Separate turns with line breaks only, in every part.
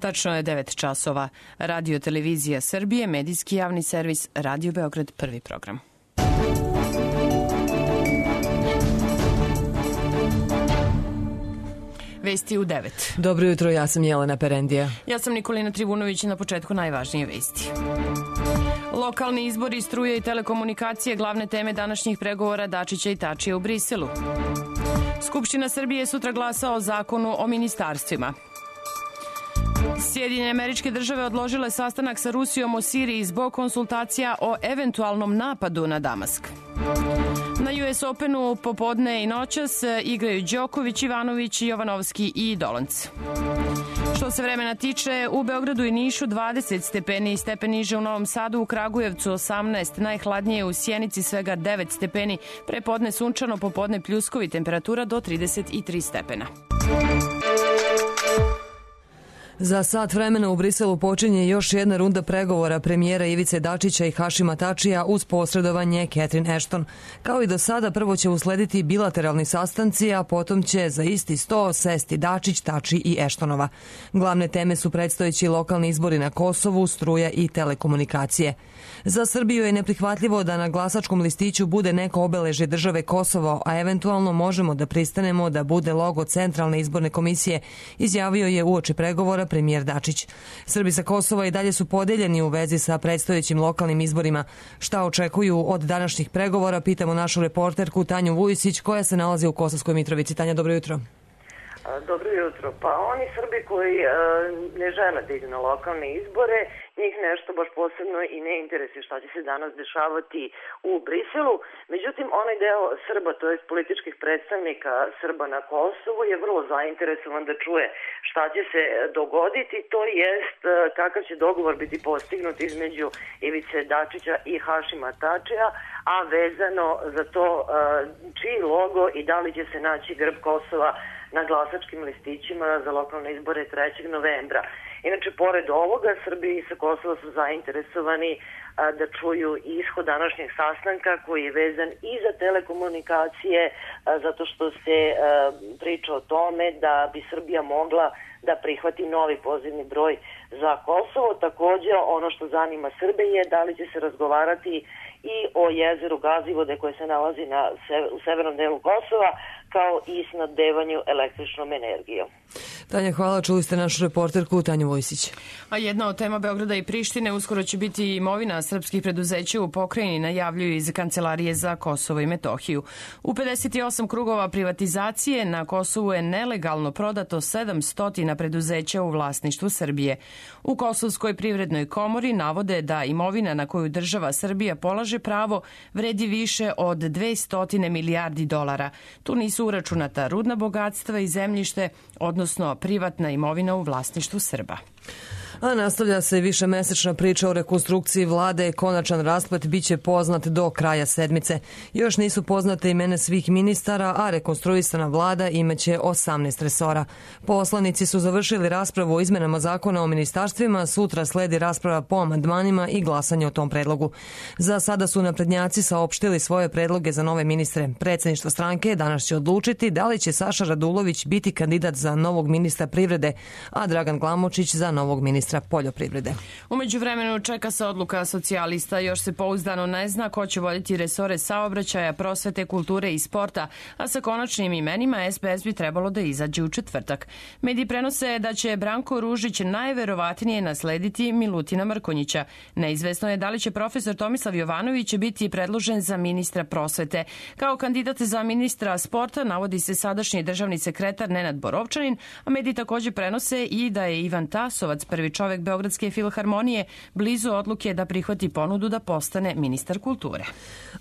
Tačno je 9 časova. Radio Televizija Srbije, medijski javni servis, Radio Beograd, prvi program. Vesti u 9.
Dobro jutro, ja sam Jelena Perendija.
Ja sam Nikolina Trivunović, na početku najvažnije vesti. Lokalni izbori, struje i telekomunikacije, glavne teme današnjih pregovora Dačića i Tačija u Briselu. Skupština Srbije sutra glasa o zakonu o ministarstvima. Sjedinjene Američke Države odložile sastanak sa Rusijom o Siriji zbog konsultacija o eventualnom napadu na Damask. Na US Openu popodne i noćas igraju Đoković, Ivanović, Jovanovski i Dolanc. Što se vremena tiče, u Beogradu i Nišu 20 stepeni, stepen niže u Novom Sadu, u Kragujevcu 18, najhladnije u Sjenici svega 9 stepeni, prepodne sunčano, popodne pljuskovi, temperatura do 33 stepena.
Za sat vremena u Briselu počinje još jedna runda pregovora premijera Ivice Dačića i Hašima Tačija uz posredovanje Catherine Ashton. Kao i do sada, prvo će uslediti bilateralni sastanci, a potom će za isti sto sesti Dačić, Tači i Ashtonova. Glavne teme su predstojeći lokalni izbori na Kosovu, struja i telekomunikacije. Za Srbiju je neprihvatljivo da na glasačkom listiću bude neko obeležje države Kosovo, a eventualno možemo da pristanemo da bude logo Centralne izborne komisije, izjavio je uoči pregovora premijer Dačić. Srbi sa Kosova i dalje su podeljeni u vezi sa predstojećim lokalnim izborima. Šta očekuju od današnjih pregovora, pitamo našu reporterku Tanju Vujisić, koja se nalazi u Kosovskoj Mitrovici. Tanja, dobro jutro.
Dobro jutro. Pa oni Srbi koji ne žele da idu na lokalne izbore, njih nešto baš posebno i ne interesuje šta će se danas dešavati u Briselu. Međutim, onaj deo Srba, to je političkih predstavnika Srba na Kosovu, je vrlo zainteresovan da čuje šta će se dogoditi, to jest kakav će dogovor biti postignut između Ivice Dačića i Hašima Tačija, a vezano za to čiji logo i da li će se naći grb Kosova na glasačkim listićima za lokalne izbore 3. novembra. Inače, pored ovoga, Srbi sa Kosova su zainteresovani da čuju ishod današnjeg sastanka koji je vezan i za telekomunikacije, zato što se priča o tome da bi Srbija mogla da prihvati novi pozivni broj za Kosovo. Takođe, ono što zanima Srbe je da li će se razgovarati i o jezeru Gazivode koje se nalazi u severnom delu Kosova, kao i snabdevanju električnom energijom.
Tanja, hvala. Čuli ste našu reporterku Tanju Vojsić.
A jedna od tema Beograda i Prištine uskoro će biti imovina srpskih preduzeća u pokrajini, najavljuju iz Kancelarije za Kosovo i Metohiju. U 58 krugova privatizacije na Kosovu je nelegalno prodato 700 preduzeća u vlasništvu Srbije. U Kosovskoj privrednoj komori navode da imovina na koju država Srbija polaže pravo vredi više od 200 milijardi dolara. Tu nisu uračunata rudna bogatstva i zemljište, odnosno privatna imovina u vlasništvu Srba.
A nastavlja se višemesečna priča o rekonstrukciji vlade. Konačan rasplet biće poznat do kraja sedmice. Još nisu poznate imena svih ministara, a rekonstruisana vlada imaće 18 resora. Poslanici su završili raspravu o izmenama zakona o ministarstvima, sutra sledi rasprava po amandmanima i glasanje o tom predlogu. Za sada su naprednjaci saopštili svoje predloge za nove ministre. Predsedništvo stranke danas će odlučiti da li će Saša Radulović biti kandidat za novog ministra privrede, a Dragan Glamočić za novog ministra poljoprivrede.
U međuvremenu čeka se odluka socijalista, još se pouzdano ne zna ko će voditi resore saobraćaja, prosvete, kulture i sporta, a sa konačnim imenima SPS bi trebalo da izađe u četvrtak. Mediji prenose da će Branko Ružić najverovatnije naslediti Milutina Mrkonjića. Neizvesno je da li će profesor Tomislav Jovanović biti predložen za ministra prosvete. Kao kandidat za ministra sporta navodi se sadašnji državni sekretar Nenad Borovčanin, a mediji takođe prenose i da je Ivan Tasovac, prvi čovek Beogradske filharmonije, blizu odluke da prihvati ponudu da postane ministar kulture.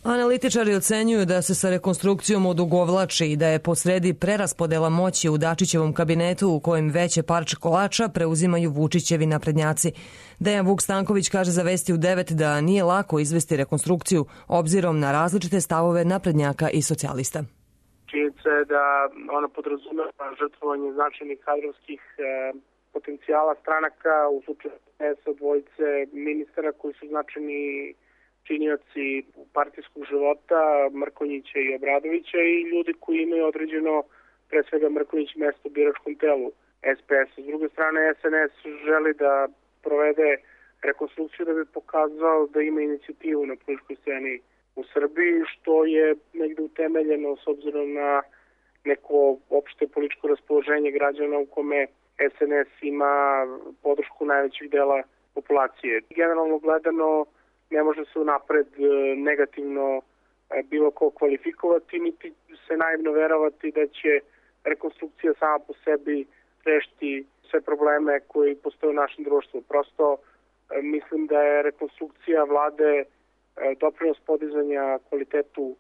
Analitičari ocenjuju da se sa rekonstrukcijom odugovlači i da je posredi preraspodela moći u Dačićevom kabinetu u kojem veće parče kolača preuzimaju Vučićevi naprednjaci. Dejan Vuk Stanković kaže za Vesti u 9 da nije lako izvesti rekonstrukciju obzirom na različite stavove naprednjaka i socijalista.
Činjenica je da ona podrazumeva žrtvovanje značajnih kadrovskih potencijala stranaka, u slučaju sa dvojice ministara koji su značajni činioci partijskog života, Mrkonjića i Obradovića, i ljudi koji imaju određeno, pre svega Mrkonjić, mesto u biračkom telu SPS. S druge strane, SNS želi da provede rekonstrukciju da bi pokazao da ima inicijativu na političkoj sceni u Srbiji, što je negde utemeljeno s obzirom na neko opšte političko raspoloženje građana u kome SNS ima podršku najvećeg dela populacije. Generalno gledano ne može se unapred negativno bilo ko kvalifikovati, niti se naivno verovati da će rekonstrukcija sama po sebi rešiti sve probleme koji postoje u našem društvu. Prosto mislim da je rekonstrukcija vlade doprinos podizanja kvalitetu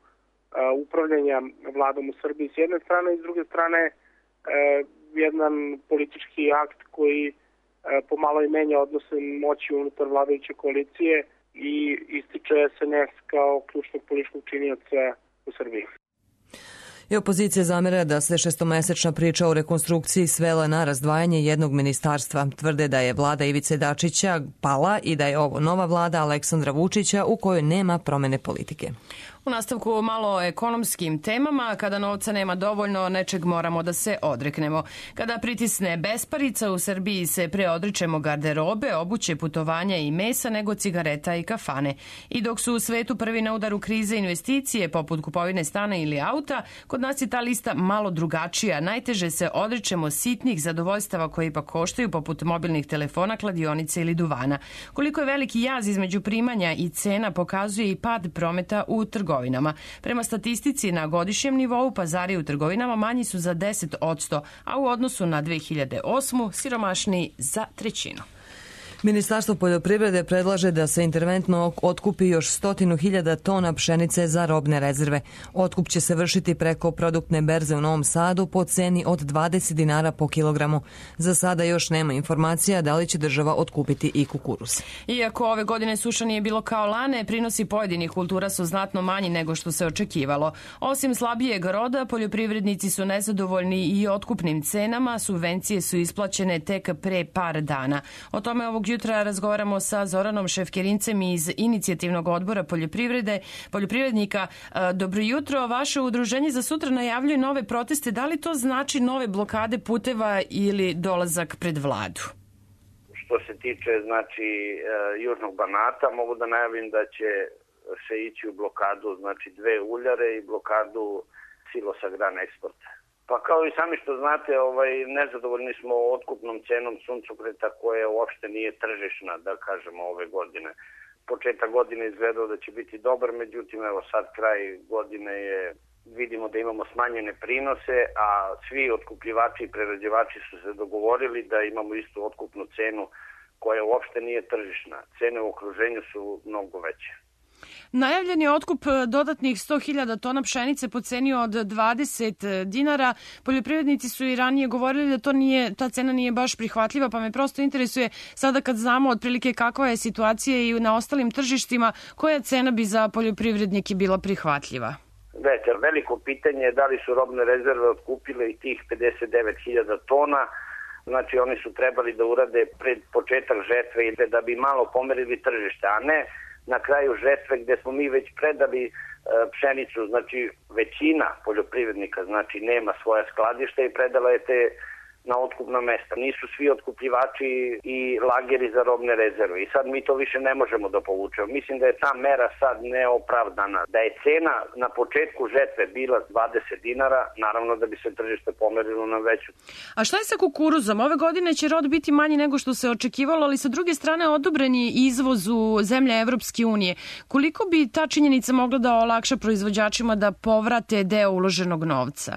upravljanja vladom u Srbiji s jedne strane i s druge strane jedan politički akt koji pomalo i menja odnose moći unutar vladajuće koalicije i ističe SNS kao ključnog političkog činioca u Srbiji.
I opozicija zamera da se šestomesečna priča o rekonstrukciji svela na razdvajanje jednog ministarstva. Tvrde da je vlada Ivice Dačića pala i da je ovo nova vlada Aleksandra Vučića u kojoj nema promene politike.
U nastavku malo o ekonomskim temama. Kada novca nema dovoljno, nečeg moramo da se odreknemo. Kada pritisne besparica, u Srbiji se pre odričemo garderobe, obuće, putovanja i mesa nego cigareta i kafane. I dok su u svetu prvi na udaru krize investicije, poput kupovine stana ili auta, kod nas je ta lista malo drugačija. Najteže se odričemo sitnih zadovoljstava koji ipak koštaju, poput mobilnih telefona, kladionice ili duvana. Koliko je veliki jaz između primanja i cena pokazuje i pad prometa u trgovinama. Prema statistici, na godišnjem nivou pazari u trgovinama manji su za 10%, a u odnosu na 2008. siromašniji za 1/3.
Ministarstvo poljoprivrede predlaže da se interventno otkupi još 100.000 tona pšenice za robne rezerve. Otkup će se vršiti preko produktne berze u Novom Sadu po ceni od 20 dinara po kilogramu. Za sada još nema informacija da li će država otkupiti i kukuruz.
Iako ove godine suša nije bilo kao lane, prinosi pojedinih kultura su znatno manji nego što se očekivalo. Osim slabijeg roda, poljoprivrednici su nezadovoljni i otkupnim cenama, subvencije su isplaćene tek pre par dana. O tome ovog jutra razgovaramo sa Zoranom Šefkerincem iz Inicijativnog odbora poljoprivrednika. Dobro jutro, vaše udruženje za sutra najavljuje nove proteste. Da li to znači nove blokade puteva ili dolazak pred vladu?
Što se tiče Južnog Banata, mogu da najavim da će se ići u blokadu 2 uljare i blokadu silosa Gran Eksporta. Pa kao i sami što znate, nezadovoljni smo otkupnom cenom suncokreta koja uopšte nije tržišna, da kažemo, ove godine. Početak godine izgledao da će biti dobar, međutim, evo sad kraj godine vidimo da imamo smanjene prinose, a svi otkupljivači i prerađivači su se dogovorili da imamo istu otkupnu cenu koja uopšte nije tržišna. Cene u okruženju su mnogo veće.
Najavljen je otkup dodatnih 100.000 tona pšenice po ceni od 20 dinara. Poljoprivrednici su i ranije govorili da ta cena nije baš prihvatljiva, pa me prosto interesuje sada kad znamo otprilike kakva je situacija i na ostalim tržištima, koja cena bi za poljoprivrednike bila prihvatljiva?
Veliko pitanje je da li su robne rezerve otkupile i tih 59.000 tona. Znači oni su trebali da urade pred početak žetve da bi malo pomerili tržište, a ne na kraju žetve gde smo mi već predali pšenicu, znači većina poljoprivrednika nema svoja skladišta i predala je te na otkupna mesta. Nisu svi otkupljivači i lageri za robne rezerve i sad mi to više ne možemo da povučemo. Mislim da je ta mera sad neopravdana. Da je cena na početku žetve bila 20 dinara, naravno da bi se tržište pomerilo na veću.
A šta je sa kukuruzom? Ove godine će rod biti manji nego što se očekivalo, ali sa druge strane odobren je izvoz u zemlje Evropske unije. Koliko bi ta činjenica mogla da olakša proizvođačima da povrate deo uloženog novca?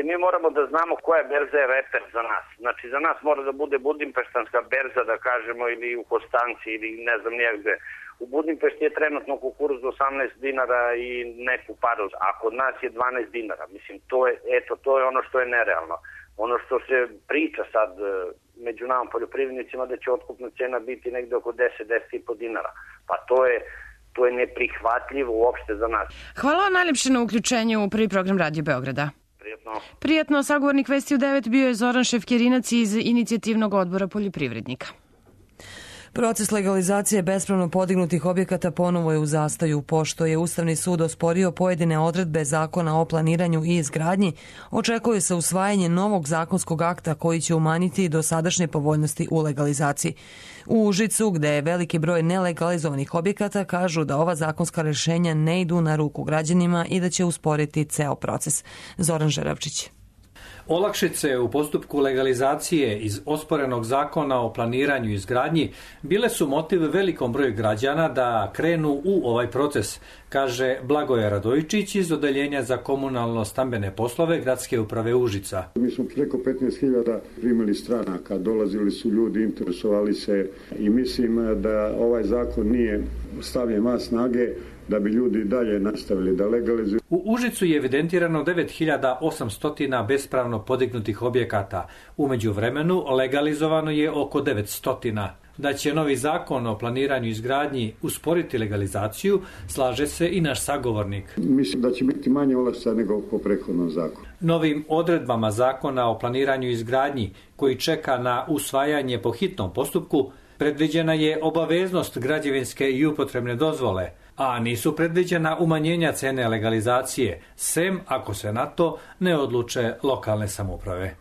Mi moramo da znamo koja berza je reper za nas. Znači, za nas mora da bude budimpeštanska berza, da kažemo, ili u Kostanci, ili ne znam nijegde. U Budimpešti je trenutno kukuruz 18 dinara i neku paru, a kod nas je 12 dinara. Mislim, to je ono što je nerealno. Ono što se priča sad među nama poljoprivrednicima da će otkupna cena biti negde oko 10-10,5 dinara. Pa to je neprihvatljivo uopšte za nas.
Hvala vam najlepše na uključenju u prvi program Radio Beograda. Prijatno, sagovornik Vesti u 9 bio je Zoran Šefkerinac iz Inicijativnog odbora poljoprivrednika.
Proces legalizacije bespravno podignutih objekata ponovo je u zastaju, pošto je Ustavni sud osporio pojedine odredbe Zakona o planiranju i izgradnji. Očekuje se usvajanje novog zakonskog akta koji će umanjiti dosadašnje povoljnosti u legalizaciji. U Užicu, gde je veliki broj nelegalizovanih objekata, kažu da ova zakonska rešenja ne idu na ruku građanima i da će usporiti ceo proces. Zoran Žeravčić.
Olakšice u postupku legalizacije iz osporenog Zakona o planiranju i izgradnji bile su motiv velikom broju građana da krenu u ovaj proces, kaže Blagoje Radojičić iz Odeljenja za komunalno-stambene poslove Gradske uprave Užica.
Mi smo preko 15.000 primili stranaka, dolazili su ljudi, interesovali se i mislim da ovaj zakon nije stavljen van snage da bi ljudi dalje nastavili da legalizuju.
U Užicu je evidentirano 9.800 bespravno podignutih objekata. U međuvremenu legalizovano je oko 900. Da će novi zakon o planiranju i izgradnji usporiti legalizaciju, slaže se i naš sagovornik.
Mislim da će biti manje olakšica nego po prethodnom zakonu.
Novim odredbama Zakona o planiranju i izgradnji, koji čeka na usvajanje po hitnom postupku, predviđena je obaveznost građevinske i upotrebne dozvole, a nisu predviđena umanjenja cene legalizacije, sem ako se na to ne odluče lokalne samouprave.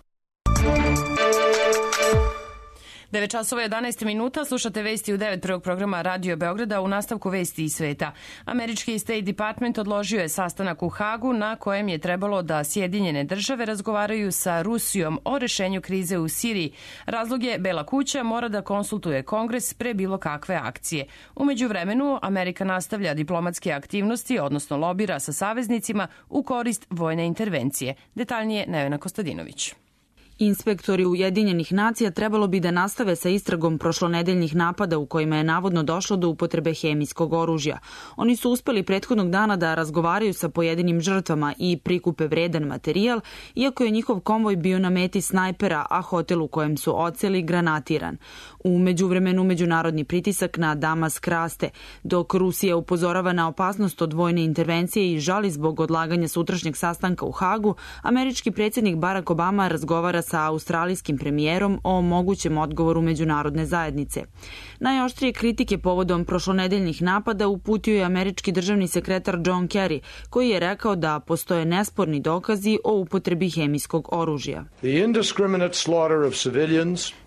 9 časova 11 minuta, slušate vesti u 9 prvog programa Radio Beograda. U nastavku vesti iz sveta. Američki State Department odložio je sastanak u Hagu na kojem je trebalo da Sjedinjene države razgovaraju sa Rusijom o rešenju krize u Siriji. Razlog je Bela kuća mora da konsultuje Kongres pre bilo kakve akcije. U međuvremenu Amerika nastavlja diplomatske aktivnosti, odnosno lobira sa saveznicima u korist vojne intervencije. Detaljnije Nevena Kostadinović.
Inspektori Ujedinjenih nacija trebalo bi da nastave sa istragom prošlonedeljnih napada u kojima je navodno došlo do upotrebe hemijskog oružja. Oni su uspeli prethodnog dana da razgovaraju sa pojedinim žrtvama i prikupe vredan materijal, iako je njihov konvoj bio na meti snajpera, a hotel u kojem su odseli granatiran. U međuvremenu međunarodni pritisak na Damask raste, dok Rusija upozorava na opasnost od vojne intervencije i žali zbog odlaganja sutrašnjeg sastanka u Hagu, američki predsjednik Barack Obama razgovara sa australijskim premijerom o mogućem odgovoru međunarodne zajednice. Najoštrije kritike povodom prošlonedeljnih napada uputio je američki državni sekretar John Kerry, koji je rekao da postoje nesporni dokazi o upotrebi hemijskog oružja.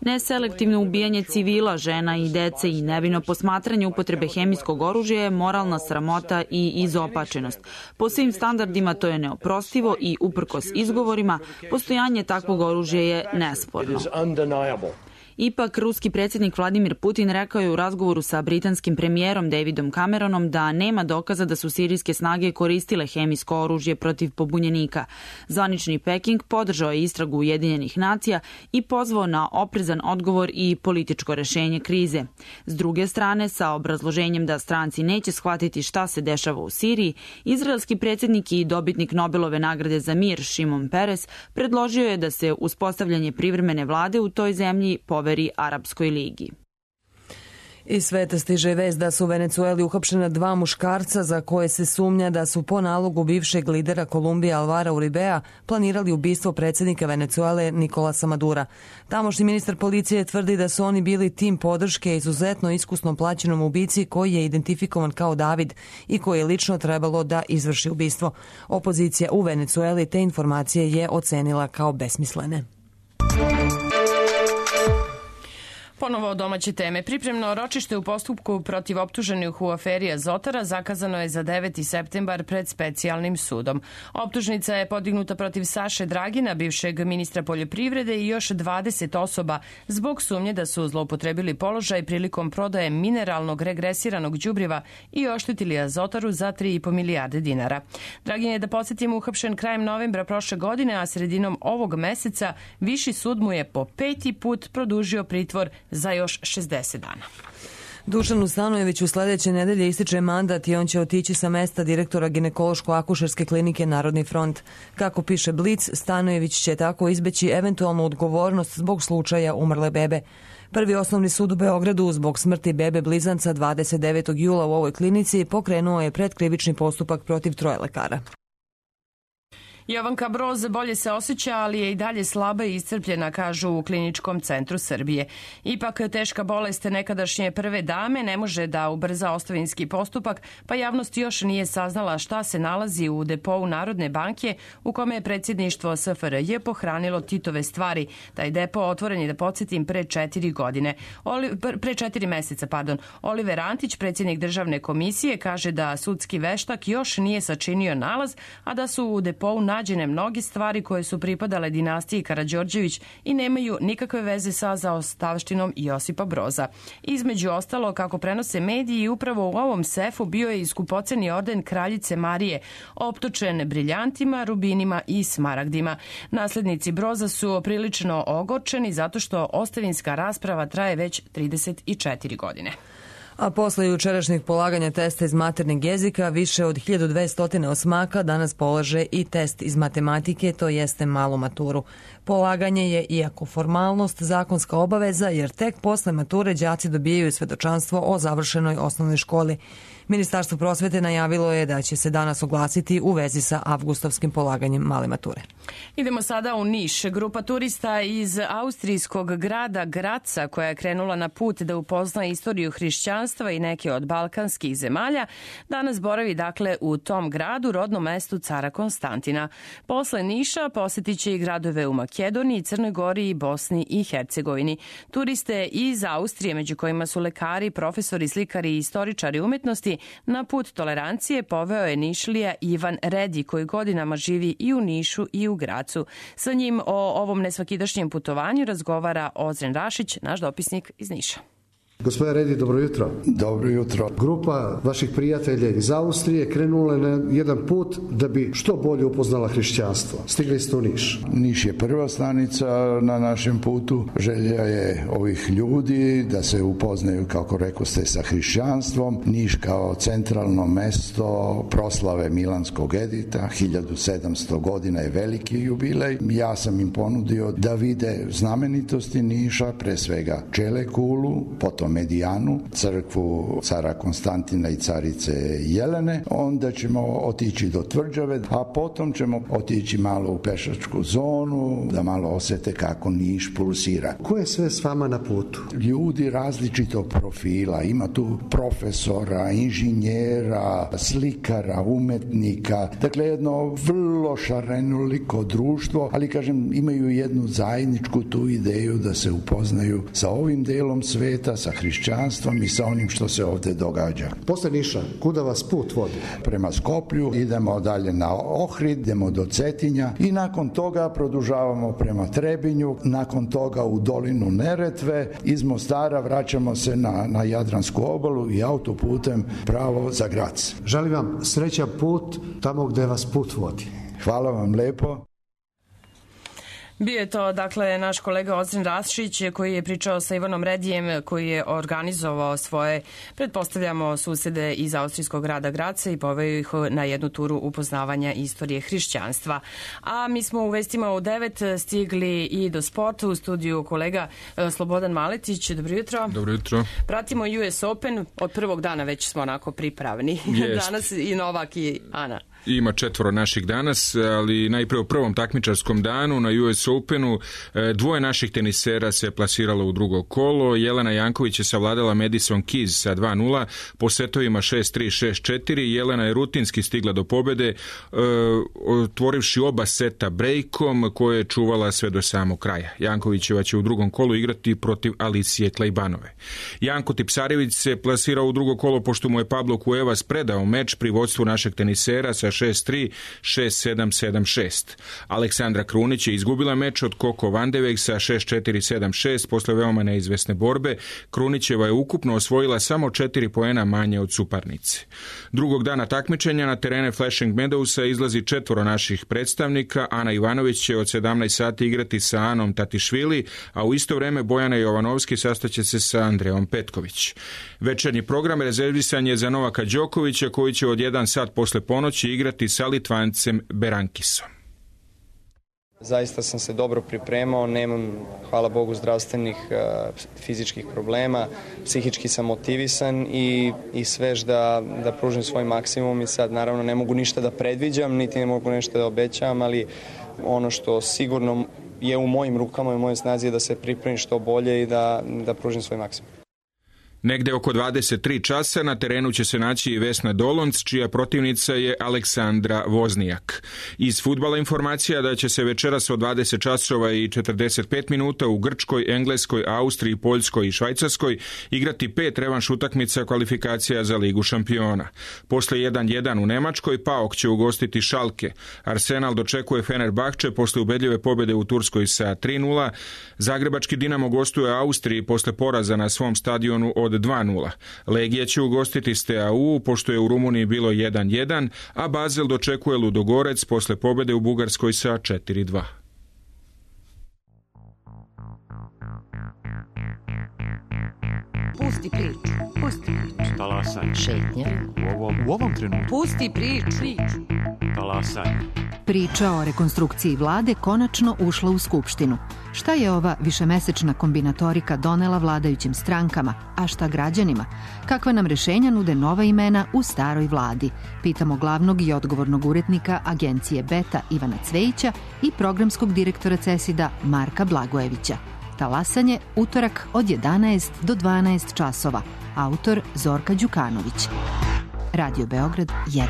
Neselektivno ubijanje civila, žena i dece i nevino posmatranje upotrebe hemijskog oružja je moralna sramota i izopačenost. Po svim standardima to je neoprostivo i uprkos izgovorima, postojanje takvog oružja je nesporno. Ipak, ruski predsjednik Vladimir Putin rekao je u razgovoru sa britanskim premijerom Davidom Cameronom da nema dokaza da su sirijske snage koristile hemijsko oružje protiv pobunjenika. Zvanični Peking podržao je istragu Ujedinjenih nacija i pozvao na oprezan odgovor i političko rešenje krize. S druge strane, sa obrazloženjem da stranci neće shvatiti šta se dešava u Siriji, izraelski predsjednik i dobitnik Nobelove nagrade za mir Šimon Peres predložio je da se uspostavljanje privremene vlade u toj zemlji poveri Arapskoj ligi.
Iz sveta stiže vest da su u Venecueli uhapšena 2 muškarca za koje se sumnja da su po nalogu bivšeg lidera Kolumbije Alvara Uribea planirali ubistvo predsjednika Venecuele Nikolasa Madura. Tamošnji ministar policije tvrdi da su oni bili tim podrške izuzetno iskusno plaćenom ubici koji je identifikovan kao David i koji je lično trebalo da izvrši ubistvo. Opozicija u Venecueli te informacije je ocenila kao besmislene.
Ponovo domaće teme. Pripremno ročište u postupku protiv optuženih u aferi Azotara zakazano je za 9. septembar pred specijalnim sudom. Optužnica je podignuta protiv Saše Dragina, bivšeg ministra poljoprivrede i još 20 osoba zbog sumnje da su zloupotrebili položaj prilikom prodaje mineralnog regresiranog đubriva i oštetili Azotaru za 3,5 milijarde dinara. Dragin je, da podsjetimo, uhapšen krajem novembra prošle godine, a sredinom ovog meseca Viši sud mu je po 5. put produžio pritvor za još 60 dana.
Dušanu Stanojeviću sledeće nedelje ističe mandat i on će otići sa mesta direktora ginekološko-akušerske klinike Narodni front. Kako piše Blic, Stanojević će tako izbeći eventualnu odgovornost zbog slučaja umrle bebe. Prvi osnovni sud u Beogradu zbog smrti bebe blizanca 29. jula u ovoj klinici pokrenuo je predkrivični postupak protiv 3 lekara.
Jovanka Broz bolje se osjeća, ali je i dalje slaba i iscrpljena, kažu u Kliničkom centru Srbije. Ipak teška bolest nekadašnje prve dame ne može da ubrza ostavinski postupak, pa javnost još nije saznala šta se nalazi u depou Narodne banke u kome je predsjedništvo SFRJ pohranilo Titove stvari. Taj depo otvoren je, da podsjetim, pre 4 meseca. Oliver Antić, predsjednik državne komisije, kaže da sudski veštak još nije sačinio nalaz, a da su u depou nađene mnoge stvari koje su pripadale dinastiji Karađorđević i nemaju nikakve veze sa zaostavštinom Josipa Broza. Između ostalo, kako prenose mediji, upravo u ovom sefu bio je i skupoceni orden Kraljice Marije, optočen briljantima, rubinima i smaragdima. Naslednici Broza su prilično ogorčeni zato što ostavinska rasprava traje već 34 godine.
A posle jučerašnjeg polaganja testa iz maternjeg jezika, više od 1200 osmaka danas polaže i test iz matematike, to jeste malu maturu. Polaganje je, iako formalnost, zakonska obaveza, jer tek posle mature đaci dobijaju svedočanstvo o završenoj osnovnoj školi. Ministarstvo prosvete najavilo je da će se danas oglasiti u vezi sa avgustovskim polaganjem male mature.
Idemo sada u Niš. Grupa turista iz austrijskog grada Graca, koja je krenula na put da upozna istoriju hrišćanstva i neke od balkanskih zemalja, danas boravi dakle u tom gradu, rodnom mestu cara Konstantina. Posle Niša posjetit će i gradove u Makedoniji, Crnoj Gori i Bosni i Hercegovini. Turiste iz Austrije, među kojima su lekari, profesori, slikari i istoričari umetnosti, na put tolerancije poveo je Nišlija Ivan Redi, koji godinama živi i u Nišu i u Gracu. Sa njim o ovom nesvakidašnjem putovanju razgovara Ozren Rašić, naš dopisnik iz Niša.
Gospodine Redi, dobro jutro.
Dobro jutro.
Grupa vaših prijatelja iz Austrije krenula je na jedan put da bi što bolje upoznala hrišćanstvo. Stigli ste u Niš.
Niš je prva stanica na našem putu. Želja je ovih ljudi da se upoznaju, kako rekoste, sa hrišćanstvom. Niš kao centralno mesto proslave Milanskog edita. 1700 godina je veliki jubilej. Ja sam im ponudio da vide znamenitosti Niša, pre svega Čelekulu, potom Medijanu, crkvu cara Konstantina i carice Jelene, onda ćemo otići do Tvrđave, a potom ćemo otići malo u pešačku zonu, da malo osjete kako Niš pulsira.
Ko je sve s vama na putu?
Ljudi različitog profila, ima tu profesora, inženjera, slikara, umetnika, dakle jedno vrlo šarenoliko društvo, ali kažem, imaju jednu zajedničku tu ideju da se upoznaju sa ovim delom sveta, sa hrišćanstvom i sa onim što se ovdje događa.
Posle Niša, kuda vas put vodi?
Prema Skoplju, idemo dalje na Ohrid, idemo do Cetinja i nakon toga produžavamo prema Trebinju, nakon toga u dolinu Neretve, iz Mostara vraćamo se na Jadransku obalu i autoputem pravo za Grac.
Želim vam srećan put tamo gde vas put vodi.
Hvala vam lepo.
Bio je to, dakle, naš kolega Ozren Rašić koji je pričao sa Ivanom Redijem, koji je organizovao svoje, pretpostavljamo, susede iz austrijskog grada Graca i poveo ih na jednu turu upoznavanja istorije hrišćanstva. A mi smo u vestima u 9 stigli i do sporta, u studiju kolega Slobodan Maletić. Dobro jutro.
Dobro jutro.
Pratimo US Open, od prvog dana već smo onako pripravni. Danas i Novak i Ana.
Ima 4 naših danas, ali najprije u prvom takmičarskom danu na US Openu 2 naših tenisera se plasiralo u drugo kolo. Jelena Janković je savladala Madison Keys sa 2-0 po setovima 6-3, 6-4. Jelena je rutinski stigla do pobjede, otvorivši oba seta brejkom koje je čuvala sve do samog kraja. Jankovićeva će u drugom kolu igrati protiv Alicije Klejbanove. Janko Tipsarević se plasirao u drugo kolo pošto mu je Pablo Cuevas predao meč pri vodstvu našeg tenisera sa 6-3, 6-7, 7-6. Aleksandra Krunić je izgubila meč od Koko Vandeveg sa 6-4, 7-6 posle veoma neizvesne borbe. Krunićeva je ukupno osvojila samo 4 poena manje od suparnice. Drugog dana takmičenja na terene Flashing Meadowsa izlazi 4 naših predstavnika. Ana Ivanović će od 17 sati igrati sa Anom Tatišvili, a u isto vreme Bojana Jovanovski sastaće se sa Andrejom Petković. Večernji program rezervisan je za Novaka Đokovića, koji će od 1 sat posle ponoći igrati sa Litvancem Berankisom.
Zaista sam se dobro pripremao, nemam, hvala Bogu, zdravstvenih fizičkih problema, psihički sam motivisan i svež da pružim svoj maksimum i sad naravno ne mogu ništa da predviđam, niti ne mogu nešto da obećavam, ali ono što sigurno je u mojim rukama i u mojoj snazi je da se pripremim što bolje i da pružim svoj maksimum.
Negde oko 23 časa na terenu će se naći i Vesna Dolonc, čija protivnica je Aleksandra Voznijak. Iz fudbala informacija da će se večeras od 20 časova i 45 minuta u Grčkoj, Engleskoj, Austriji, Poljskoj i Švajcarskoj igrati 5 revanš utakmica kvalifikacija za Ligu šampiona. Posle 1-1 u Nemačkoj PAOK će ugostiti Schalke. Arsenal dočekuje Fenerbahče posle ubedljive pobjede u Turskoj sa 3-0. Zagrebački Dinamo gostuje Austriji posle poraza na svom stadionu od 2-0. Legija će ugostiti Steaua, pošto je u Rumuniji bilo 1-1, a Basel dočekuje Ludogorec posle pobjede u Bugarskoj sa 4-2.
Pusti priču. Talasanje. Šetnja. U ovom trenutku. Pusti priču. Talasanje.
Priča o rekonstrukciji vlade konačno ušla u Skupštinu. Šta je ova višemesečna kombinatorika donela vladajućim strankama, a šta građanima? Kakva nam rešenja nude nova imena u staroj vladi? Pitamo glavnog i odgovornog urednika agencije Beta Ivana Cvejića i programskog direktora CESID-a Marka Blagojevića. Talasanje, utorak od 11 do 12 časova. Autor Zorka Đukanović. Radio Beograd 1.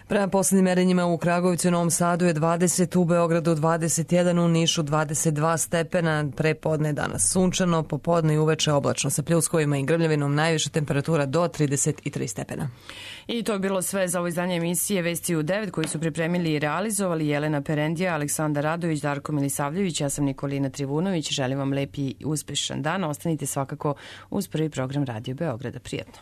Prema poslednjim merenjima u Kragujevcu i Novom Sadu je 20, u Beogradu 21, u Nišu 22 stepena, prepodne danas sunčano, popodne i uveče oblačno sa pljuskovima i grmljavinom, najviša temperatura do 33 stepena.
I to je bilo sve za ovo izdanje emisije Vesti u 9 koji su pripremili i realizovali Jelena Perendija, Aleksandar Radović, Darko Milisavljević, ja sam Nikolina Trivunović. Želim vam lep i uspešan dan. Ostanite svakako uz prvi program Radio Beograda. Prijatno.